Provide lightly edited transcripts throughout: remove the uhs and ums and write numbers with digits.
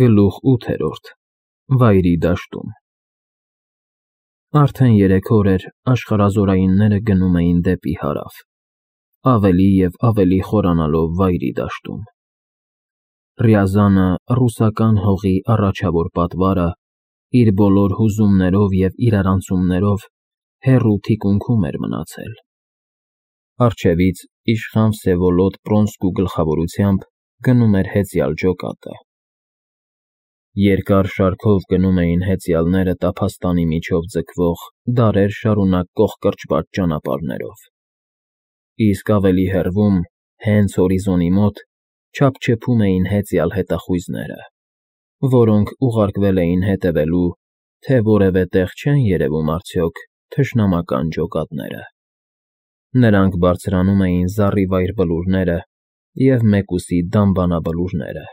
Գլուխ 8 Վայրի դաշտում Արդեն 3 օր էր աշխարհազորայինները գնում էին դեպի հարավ, ավելի և ավելի խորանալով վայրի դաշտում։ Ռյազանը, ռուսական հողի առաջավոր պատվարը, իր բոլոր հուզումներով և իրարանցումներով հեռու թիկունքում էր մնացել։ Առջևից իշխան Վսևոլոդ Պրոնսկու գլխավորությամբ գնում էր հեծյալ ջոկատը։ Երկար շարքով գնում էին հեծյալները տափաստանի միջով ձգվող, դարեր շարունակ կողկրճված ճանապարհներով, իսկ ավելի հեռվում, հենց հորիզոնի մոտ, չափչփում էին հեծյալ հետախույզները, որոնք ուղարկվել էին հետևելու, թե որևէ տեղ չեն երևում արդյոք թշնամական ջոկատները։ Նրանք բարձրանում էին զառիվայր բլուրները և մեկուսի դամբանաբլուրները,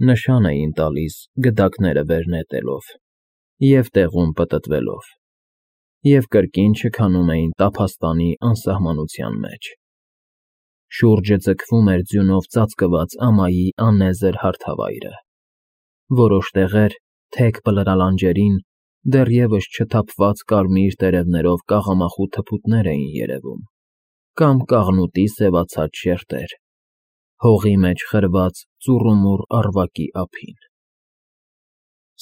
նշան էին տալիս գդակները վեր նետելով և տեղում պտտվելով, և կրկին չքանում էին տափաստանի անսահմանության մեջ։ Շուրջը ձգվում էր ձյունով ծածկված ամայի անեզր հարթավայրը։ Որոշ տեղեր, թեք բլրալանջերին, դեռևս չթափված կարմիր տերևներով կաղամախու թփուտներ էին երևում, կամ կաղնուտի սևացած շերտեր, հողի մեջ խրված ծուռումուռ առվակի ափին։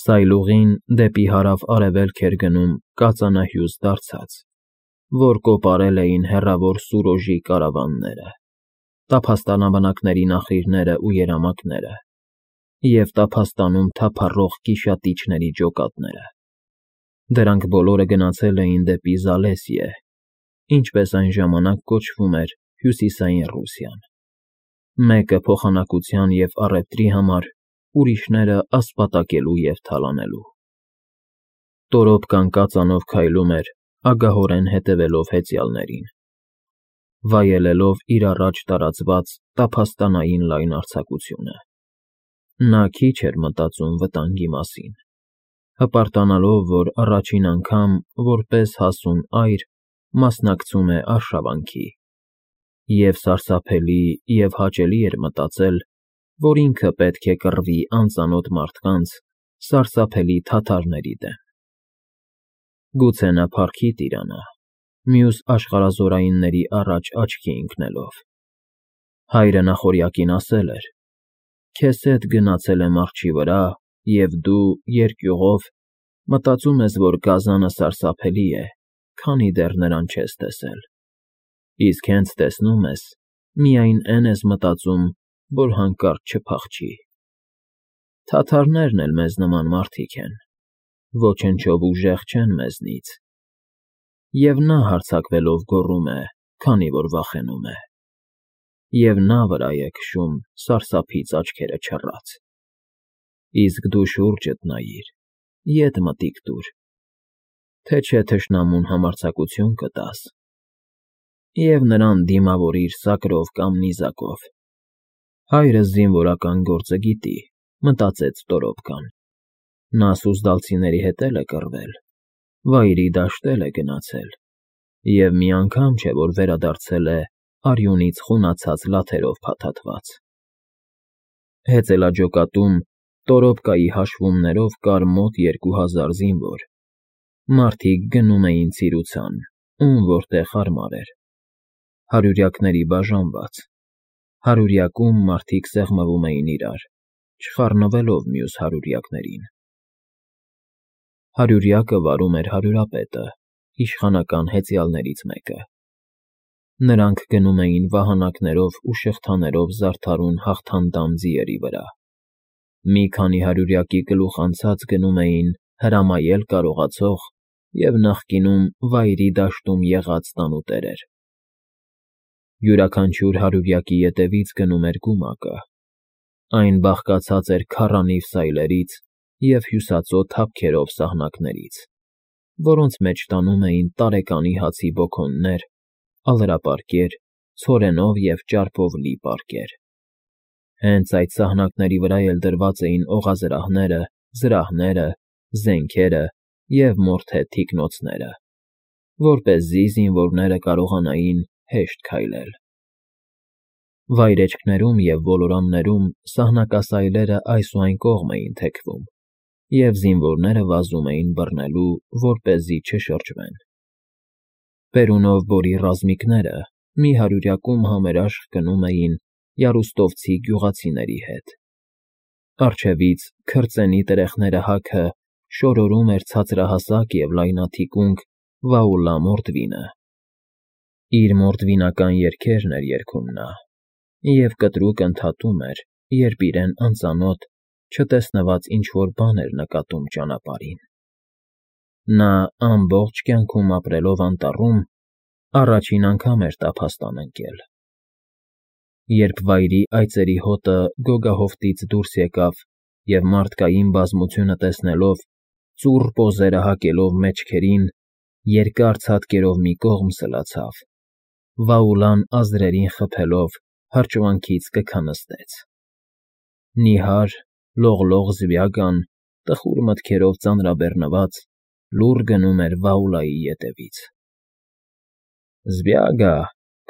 Սայլուղին դեպի հարավ֊արևելք էր գնում կածանահյուծ դարձած, որ կոպարել էին հեռավոր Սուրոժի կարավանները, տափաստանաբնակների նախիրները ու երամակները և տափաստանում թափառող գիշատիչների ջոկատները։ Դրանք բոլորը գնացել էին դեպի Զալեսիե, ինչպես այն ժամանակ կոչվում էր Հյուսիսային Ռուսիան, մեկը փոխանակության և առևտրի համար, ուրիշները ասպատակելու և թալանելու։ Տորոպկան կածանով քայլում էր, ագահորեն հետևելով հեծյալներին, վայելելով իր առաջ տարածված տափաստանային լայն արձակությունը։ Նա քիչ էր մտածում վտանգի մասին, հպարտանալով, որ առաջին անգամ, որպես հասուն այր, մասնակցում է արշավանքի, և սարսափելի և հաճելի էր մտածել, որ ինքը պետք է կռվի անծանոթ մարդկանց, սարսափելի թաթարների դեմ։ Գուցե նա փառքի տիրանա, մյուս աշխարհազորայինների առաջ աչքի ընկնելով։ Հայրը նախօրյակին ասել էր. «Քեզ հետ գնացել եմ արջի վրա, և դու, երկյուղով, մտածում ես, որ գազանը սարսափելի է, քանի դեռ նրան չես տեսել, իսկ հենց տեսնում ես, միայն էն ես մտածում, որ հանկարծ չփախչի։ Թաթարներն էլ մեզ նման մարդիկ են, ոչնչով ուժեղ չեն մեզնից»։ Եվ նա հարձակվելով գոռում է, քանի որ վախենում է, և նա վրա է քշում սարսափից աչքերը չռած։ Իսկ դու շուրջդ նայիր, ետ մտիկ տուր, թե չէ թշնամուն համարձակություն կտաս, և նրան դիմավորիր սակրով կամ նիզակով։ Հայրս զինվորական գործը գիտի, մտածեց Տորոպկան։ Նա սուզդալցիների հետ էլ է կռվել, վայրի դաշտ էլ է գնացել, և մի անգամ չէ, որ վերադարձել է արյունից խունացած լաթերով փաթաթված։ Հեծելաջոկատում Տորոպկայի հաշվումներով կար մոտ 2000 զինվոր։ Մարդիկ գնում էին ցիրուցան, ում որտեղ հարմար էր, հարյուրյակների բաժանված, հարյուրյակում մարդիկ սեղմվում էին իրար, չխառնվելով մյուս հարյուրյակներին։ Հարյուրյակը վարում էր հարյուրապետը, իշխանական հեծյալներից մեկը։ Նրանք գնում էին վահանակներով ու շղթաներով զարդարուն հաղթանդամ ձիերի վրա։ Մի քանի հարյուրյակի գլուխ անցած գնում էին հրամայել կարողացող և նախկինում վայրի դաշտում եղած տանուտերեր։ Յուրաքանչյուր հարյուրյակի ետևից գնում էր գումակը։ Այն բաղկացած էր քառանիվ սայլերից և հյուսածո թափքերով սահնակներից, որոնց մեջ տանում էին տարեկանի հացի բոքոններ, ալրապարկեր, ցորենով և ճարպով լի պարկեր։ Հենց այդ սահնակների վրա էլ դրված էին օղազրահները, զրահները, զենքերը և մորթե թիկնոցները, որպեսզի զինվորները կարողանային հեշտ քայլել։ Վայրեջքներում և ոլորաններում սահնակասայլերը այս ու այն կողմ էին թեքվում, և զինվորները վազում էին բռնելու, որպեսզի չշրջվեն։ Պերունով Բորի ռազմիկները մի հարյուրյակում համերաշխ գնում էին յարուստովցի գյուղացիների հետ։ Առջևից քրծենի տրեխները հագը շորորում էր ցածրահասակ և լայնաթիկունք Վաուլա Մորդվինը։ Իր մորդվինական երգերն էր երգում նա, և կտրուկ ընդհատում էր, երբ իրեն անծանոթ, չտեսնված ինչ֊որ բան էր նկատում ճանապարհին։ Նա ամբողջ կյանքում ապրելով անտառում առաջին անգամ էր տափաստան ընկել։ Երբ Վայրի այծերի հոտը գոգահովտից դուրս եկավ և մարդկային բազմությունը տեսնելով, ծուռ պոզերը հակելով մեջքերին, երկար ցատկերով մի կողմ սլացավ, Վաուլան ազրերին խփելով հրճվանքից կքնստեց։ Նիհար, լողլող Զբյագան, տխուր մտքերով ծանրաբեռնված, լուռ գնում էր Վաուլայի ետևից։ Զբյագա,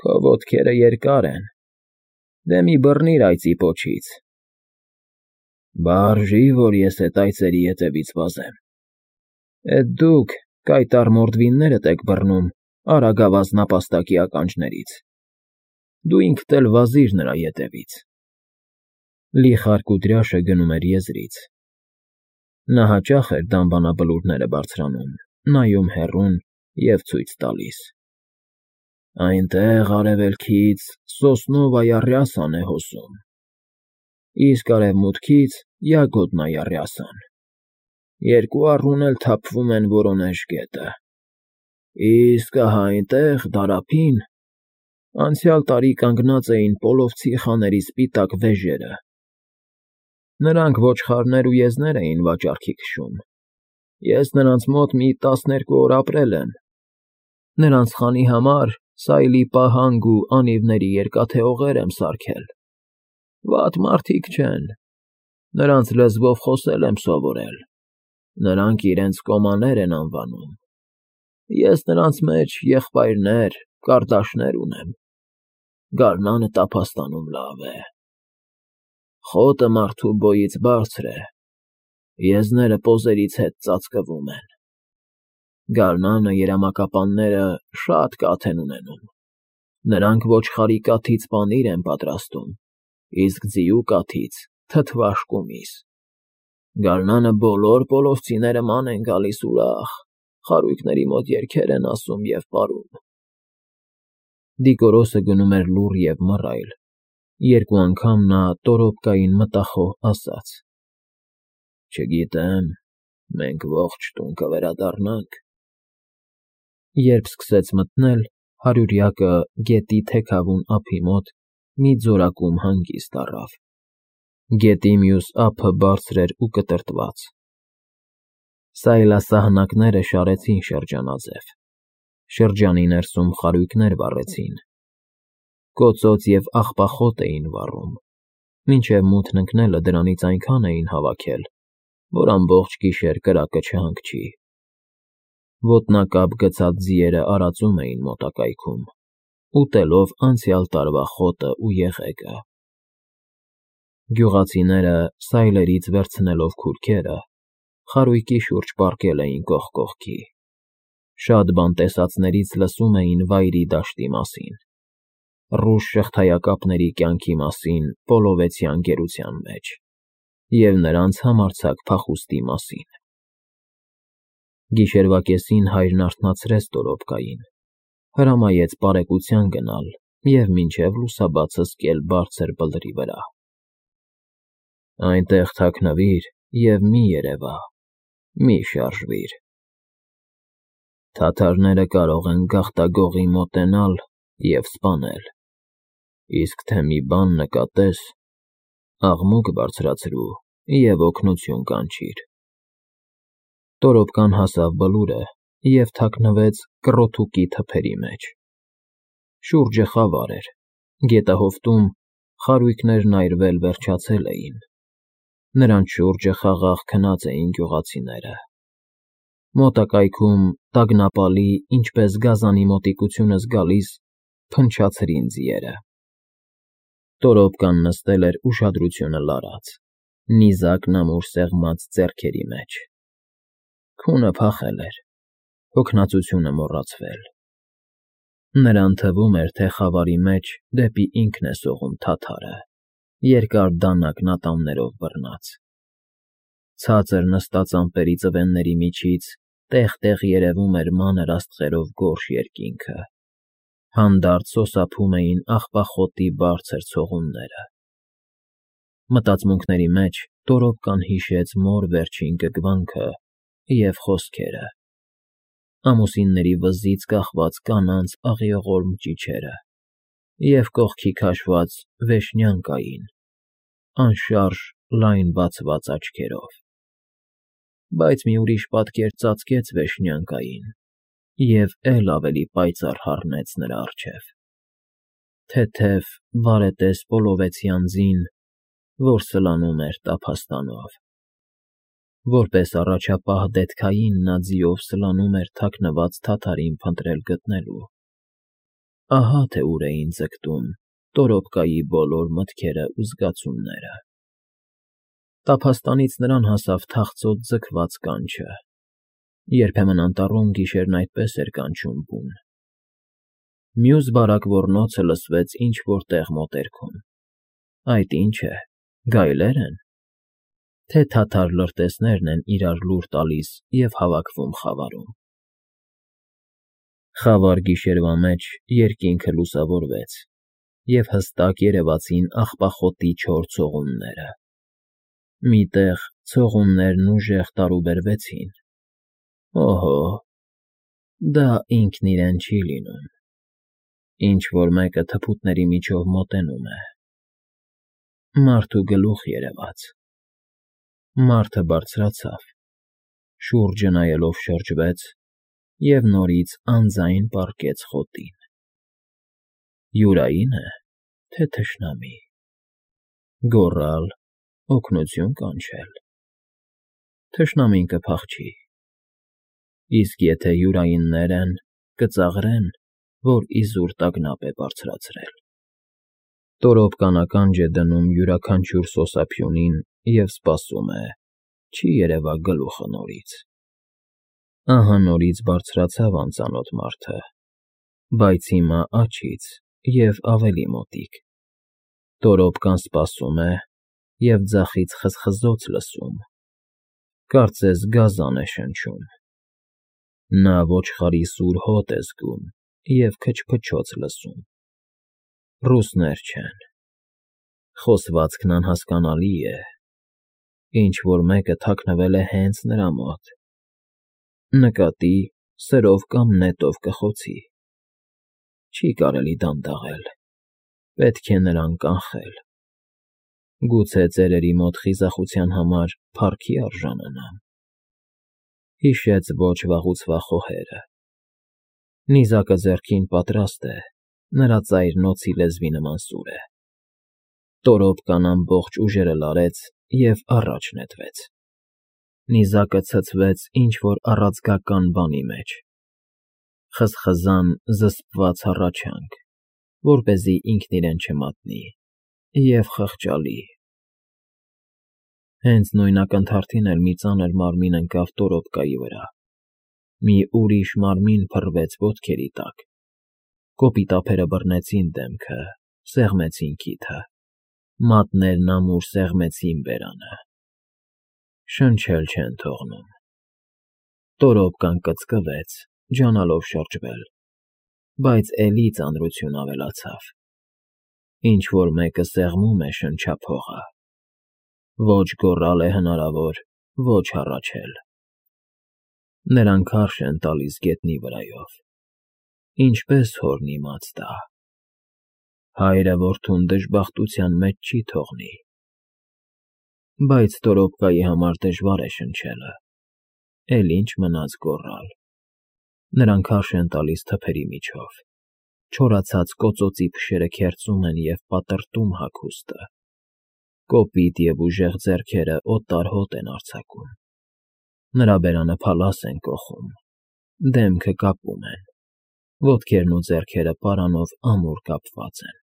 քո ոտքերը երկար են, դե մի բռնիր այծի պոչից։ Բարժի, որ ես էդ այծերի ետևից վազեմ։ Էդ դուք կայտառ մորդվիններդ եք բռնում արագավազ նապաստակի ականջներից։ Դու ինքդ էլ վազիր նրա ետևից։ Լի խարկուդրյաշը գնում էր եզրից։ Նա հաճախ էր դամբանաբլուրները բարձրանում, նայում հեռուն և ցույց տալիս. Այնտեղ արևելքից Սոսնովայ Առյասան է հոսում, իսկ արևմուտքից Յագոդնայ Առյասան, երկու առուն էլ թափվում են Վորոնեժ գետը, իսկ ահա այնտեղ, դարափին, անցյալ տարի կանգնած էին պոլովցի խաների սպիտակ վեժերը։ Նրանք ոչխարներ ու եզներ էին վաճառքի քշում, ես նրանց մոտ մի 12 օր ապրել եմ։ Նրանց խանի համար սայլի պահանջ ու անիվների երկաթե օղեր եմ սարքել։ Վատ մարդիկ չեն, նրանց լեզվով խոսել եմ սովորել, նրանք իրենց կոմաներ են անվանում, ես նրանց մեջ եղբայրներ, կարդաշներ ունեմ, գարնանը տափաստանում լավ է։ Խոտը մարդու բոյից բարձր է, եզները պոզերից հետ ծածկվում են, գարնանը երամակապանները շատ կաթ են ունենում, նրանք ոչխարի կաթից պանիր են պատրաստում, իսկ ձիու կաթից թթվաշ կումիս։ Գարնանը բոլոր պոլովցիները ման են գալիս ուրախ, խարույկների մոտ երգեր են ասում և պարում։ Դիկորոսը գնում էր լուռ և մռայլ, երկու անգամ նա տորոպկային մտախոհ ասաց. Չգիտեմ, մենք ողջ տուն կվերադառնանք։ Երբ սկսեց մթնել, հարյուրյակը գետի թեքավուն ափի մոտ մի ձորակում հանգիստ առավ։ Գետի մյուս ափը բարձր էր ու կտրտված։ Սայլասահնակները շարեցին շրջանաձև, շրջանի ներսում խարույկներ վառեցին, կոծոծ և աղբախոտ էին վառում, մինչև մութն ընկնելը դրանից այնքան էին հավաքել, որ ամբողջ գիշեր կրակը չհանգչի։ Ոտնակապ գցած ձիերը արածում էին մոտակայքում, ուտելով անցյալ տարվա խոտն ու եղեգը։ Գյուղացիները, սայլերից վերցնելով քուրքերը, խարույկի շուրջ պառկել էին կողք կողքի։ Շատ բան տեսածներից լսում էին Վայրի դաշտի մասին, ռուս շղթայակապների կյանքի մասին պոլովեցյան գերության մեջ և նրանց համարձակ փախուստի մասին։ Գիշերվա կեսին հայրն արթնացրեց Տորոպկային, հրամայեց պարեկության գնալ և մինչև լուսաբացը զկել բարձր բլրի վրա։ Այնտեղ թաքնվիր և մի երևա, մի շարժվիր։ Թաթարները կարող են գաղտագողի մոտենալ և սպանել, իսկ թե մի բան նկատես, աղմուկ բարձրացրու և օգնություն կանչիր։ Տորոպկան հասավ բլուրը և թաքնվեց կռոթուկի թփերի մեջ։ Շուրջը խավար էր, գետահովտում խարույկներն այրվել վերջացել էին, նրանց շուրջը խաղաղ քնած էին գյուղացիները։ Մոտակայքում տագնապալի, ինչպես գազանի մոտիկությունը զգալիս, փնչացրին ձիերը։ Տորոպկան նստել էր ուշադրությունը լարած, նիզակն ամուր սեղմած ձեռքերի մեջ։ Քունը փախել էր, հոգնածությունը մոռացվել։ Նրան թվում էր, թե խավարի մեջ դեպի ինքն է սողում թաթարը, երկար դանակ ատամներով բռնած։ Ցածր նստած ամպերի ծվենների միջից տեղ-տեղ երևում էր մանր աստղերով գորշ երկինքը, հանդարտ սոսափում էին աղբախոտի բարձր ցողունները։ Մտածմունքների մեջ Տորոպկան հիշեց մոր վերջին գրգռվանքը և խոսքերը, ամուսինների վզից կախված կանանց աղիողորմ ճիչերը և կողքի քաշված Վեշնյանկային, անշարժ լայն բացված աչքերով։ Բայց մի ուրիշ պատկեր ծածկեց Վեշնյանկային և էլ ավելի պայծառ հառնեց նրա առջև. թեթև, բարետես պոլովեցի անձին, որ սլանում էր տափաստանով։ Որպես առաջապահ դետքային նա ձիով սլանում էր թաքնված թաթարին փնտրել գտնելու։ Ահա թե ուր էին ձգտում Տորոպկայի բոլոր մտքերը ու զգացումները։ Տափաստանից նրան հասավ թախծոտ ձգված կանչը, երբեմն անտառում գիշերն այդպես էր կանչում բուն։ Մյուս բարակ ոռնոցը լսվեց ինչ֊որ տեղ մոտերքում։ Այդ ի՞նչ է, գայլե՞ր են, թե թաթար լրտեսներն են իրար լուր տալիս և հավաքվում խավարում։ Խավար գիշերվա մեջ երկինքը լուսավորվեց, և հստակ երևացին աղբախոտի չոր ցողունները։ Մի տեղ ցողուններն ուժեղ տարուբերվեցին։ Օհո, դա ինքն իրեն չի լինում։ Ինչ֊որ մեկը թփուտների միջով մոտենում է։ Մարդու գլուխ երևաց։ Մարդը բարձրացավ, շուրջը նայելով շրջվեց և նորից անձայն պառկեց խոտին։ Յուրայի՞ն է, թե թշնամի։ Գոռալ, օգնություն կանչել։ Թշնամին կփախչի։ Իսկ եթե յուրայիններ են, կծաղրեն, որ իզուր տագնապ է բարձրացրել։ Տորոպկան ականջ է դնում յուրաքանչյուր սոսափյունին և սպասում է, չի երևա գլուխը նորից։ Ահա նորից բարձրացավ անծանոթ մարդը, բայց հիմա աջից և ավելի մոտիկ։ Տորոպկան սպասում է և ձախից խզխզոց լսում, կարծես գազան է շնչում։ Նա ոչխարի սուր հոտ է զգում և քչփչոց լսում։ Ռուսներ չեն։ Խոսվածքն անհասկանալի է։ Ինչ֊որ մեկը թաքնվել է հենց նրա մոտ։ Նկատի, սրով կամ նետով կխոցի։ Չի կարելի դանդաղել, պետք է նրան կանխել։ Գուցե ծերերի մոտ խիզախության համար փառքի արժանանամ։ Հիշեց ոչ վաղուց վաղ խոհերը։ Նիզակը ձեռքին պատրաստ է, նրա ծայրն օձի լեզվի նման սուր է։ Տորոպկան ամբողջ ուժերը լարեց և առաջ նետվեց։ Նիզակը ցցվեց ինչ֊որ առաձգական բանի մեջ։ Խզխզան զսպված հառաչանք, որպեսզի ինքն իրեն չմատնի, և խղճալի։ Հենց նույն ակնթարթին էլ մի ծանր մարմին ընկավ Տորոպկայի վրա։ Մի ուրիշ մարմին փռվեց ոտքերի տակ։ Կոպիտ ափերը բռնեցին դեմքը, սեղմեցին քիթը, մատներն ամուր սեղմեցին բերանը։ Շնչել չեն թողնում։ Տորոպկան կծկվեց, ջանալով շրջվել, բայց էլի ծանրություն ավելացավ։ Ինչ֊որ մեկը սեղմում է շնչափողը։ Ոչ գոռալ է հնարավոր, ոչ հառաչել։ Նրան քարշ են տալիս գետնի վրայով։ Ինչպես հորն իմաց տա։ Հայրը որդուն դժբախտության մեջ չի թողնի։ Բայց Տորոպկայի համար դժվար է շնչելը, էլ ինչ մնաց գոռալ։ Նրան քարշ են տալիս թփերի միջով։ Չորացած կոծոցի փշերը քերծում են և պատրտում հագուստը։ Կոպիտ և ուժեղ ձեռքերը օտար հոտ են արձակում։ Նրա բերանը փալաս են կոխում, դեմքը կապում են, ոտքերն ու ձեռքերը պարանով ամուր կապված են։